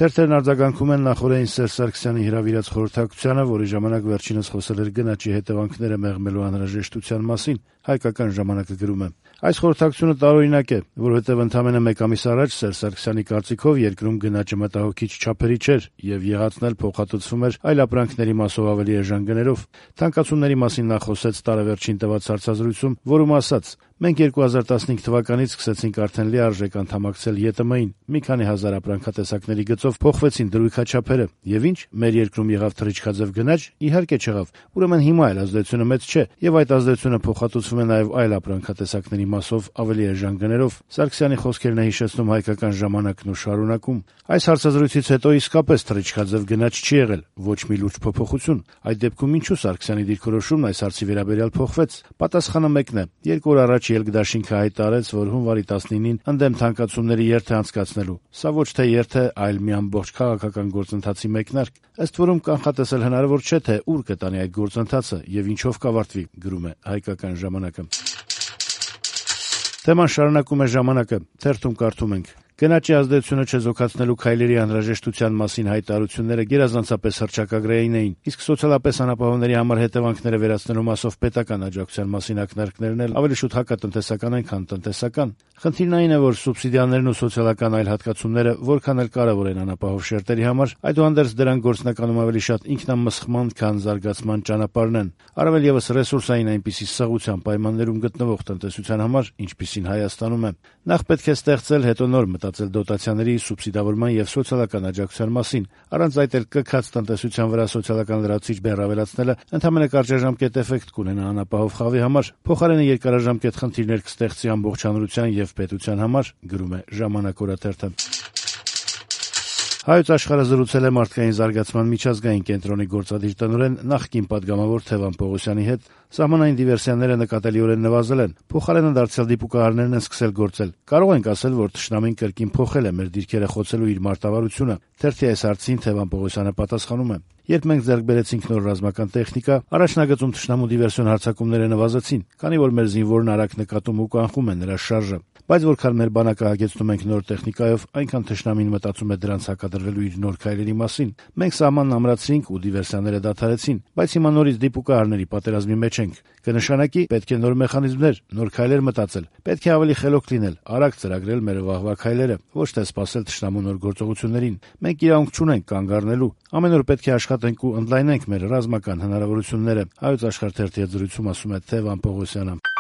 Թերթերն արձագանքում են նախօրեին Սերժ Սարգսյանի հրավիրած խորհրդակցությանը, որի ժամանակ վերջինս խոսել էր գնաճի հետևանքները մեղմելու անհրաժեշտության մասին։ Հայկական ժամանակը գրում է. Այս խորհրդակցությունը տարօրինակ է, որովհետև ընդամենը մեկ ամիս առաջ Սերժ Սարգսյանի կարծիքով երկրում գնաճը մտահոգիչ չափերի չէր եւ եղածն էլ փոխհատուցվում էր այլ ապրանքների մասով ավելի էժան գներով։ Թանկացումների մասին նա խոսեց տարեվերջին տված հարցազրույցում, որում ասաց. «Մենք 2015 թվականից սկսեցինք արդեն լիարժեք անդամակցել ԵՏՄ-ին, մի քանի հազար ապրանքատեսակների գծով փոխվեցին դրույքաչափերը, եւ ինչ, մեր երկրում եղավ թռիչքաձև գնաճ, իհարկե չեղավ, ուրեմն հիմա էլ ազդեցությունը մեծ չէ, եւ այդ ազդեցությունը փոխհատուցվում է նաեւ այլ ապրանքատեսակների մասով ավելի էժան գներով»։ Սարգսյանի խոսքերն է հիշեցնում Հայկական ժամանակն ու շարունակում. «Այս հարցազրույցից հետո իսկապես թռիչքաձև գնաճ չի եղել, ոչ մի լուրջ փոփոխություն։ Այդ դեպքում ինչու Սարգսյանի դիրքորոշումն այս հարցի վերաբերյալ փոխվեց։ Պատասխանը մեկն է. երկու օր առաջ Ելք-Դաշինքը հայտարարեց, որ հունվարի 19-ին ընդդեմ թանկացումների երթ է անցկացնելու։ Սա ոչ թե երթ է, այլ մի ամբողջ քաղաքական գործընթացի մեկնարկ։ Ըստ որում կանխատեսել հնարավոր չէ, թե ուր կտանի այդ գործընթացը եւ ինչով կավարտվի», գրում է Հայկական ժամանակը։ Թեման շարունակում է ժամանակը, թերթում կարդում ենք. «Գնաճի ազդեցությունը չեզոքացնելու քայլերի անհրաժեշտության մասին հայտարարությունները գերազանցապես հռչակագրային էին, իսկ սոցիալապես անապահովների համար հետևանքները վերացնելու մասով պետական աջակցության մասին ակնարկներն էլ ավելի շուտ հակատնտեսական են, քան տնտեսական։ Խնդիրն այն է, որ սուբսիդիաներն ու սոցիալական այլ հատկացումները որքան էլ կարևոր են անապահով շերտերի համար, այդուհանդերձ դրանք գործնականում ավելի շատ ինքնամսխման, քան զարգացման ճանապարհն են, առավել եւս ռեսուրսային այնպիսի սղության պայմաններում գտնվող տնտեսության համար, ինչպիսին Հայաստանում է։ Նախ պետք է ստեղծել, հետո նոր մտածել դոտացիաների, սուբսիդավորման եւ սոցիալական աջակցության մասին։ Առանց այդ էլ կքած տնտեսության վրա սոցիալական լրացուցիչ բեռ ավելացնելը ընդամենը կարճաժամկետ էֆեկտ կունենա անապահով խավի համար, փոխարենը երկարաժամկետ խնդիրներ կստեղծի ամբողջ հանրության եւ պետության համար, գրում է Ժամանակ օրաթերթը։ Հայոց աշխարհը զրուցել է մարդկային զարգացման միջազգային կենտրոնի գործադիր տնօրեն նախկին պատգամավոր Թևան Պողոսյանի հետ։ Սահմանային դիվերսիաները նկատելիորեն նվազել են, փոխարենը դարձյալ դիպուկահարներն են սկսել գործել։ Կարող ենք ասել, որ թշնամին կրկին փոխել է մեր դիրքերը խոցելու իր մարտավարությունը։ Թերթի այս հարցին Թևան Պողոսյանը պատասխանում է. «Երբ մենք ձեռք բերեցինք նոր ռազմական տեխնիկա, առաջնագծում թշնամու դիվերսիոն հարձակումները նվազեցին, քանի որ մեր զինվորն արագ նկատում ու կանխում է նրա շարժը։ Բայց որքան մեր բանակը հագեցնում ենք նոր տեխնիկայով, այնքան թշնամին մտածում է դրանց հակադրվելու իր նոր քայլերի մասին։ Մենք սահմանն ամրացրինք ու դիվերսիաները դադարեցին, բայց հիմա նորից դիպուկահարների պատերազմի մեջ ենք։ Կնշանակի, պետք է նոր մեխանիզմներ, նոր քայլեր մտածել։ Պետք է ավելի խելոք լինել, արագ ծրագրել մեր վաղվա քայլերը, ոչ թե սպասել թշնամու նոր գործողություններին։ Մենք իրավունք չունենք կանգ առնելու։ Ամեն օր պետք է աշխատենք ու ընդլայնենք մեր ռազմական հնարավորությունները», Հայոց աշխարհ թերթի հետ զրույցում ասում է Թևան Պողոսյանը։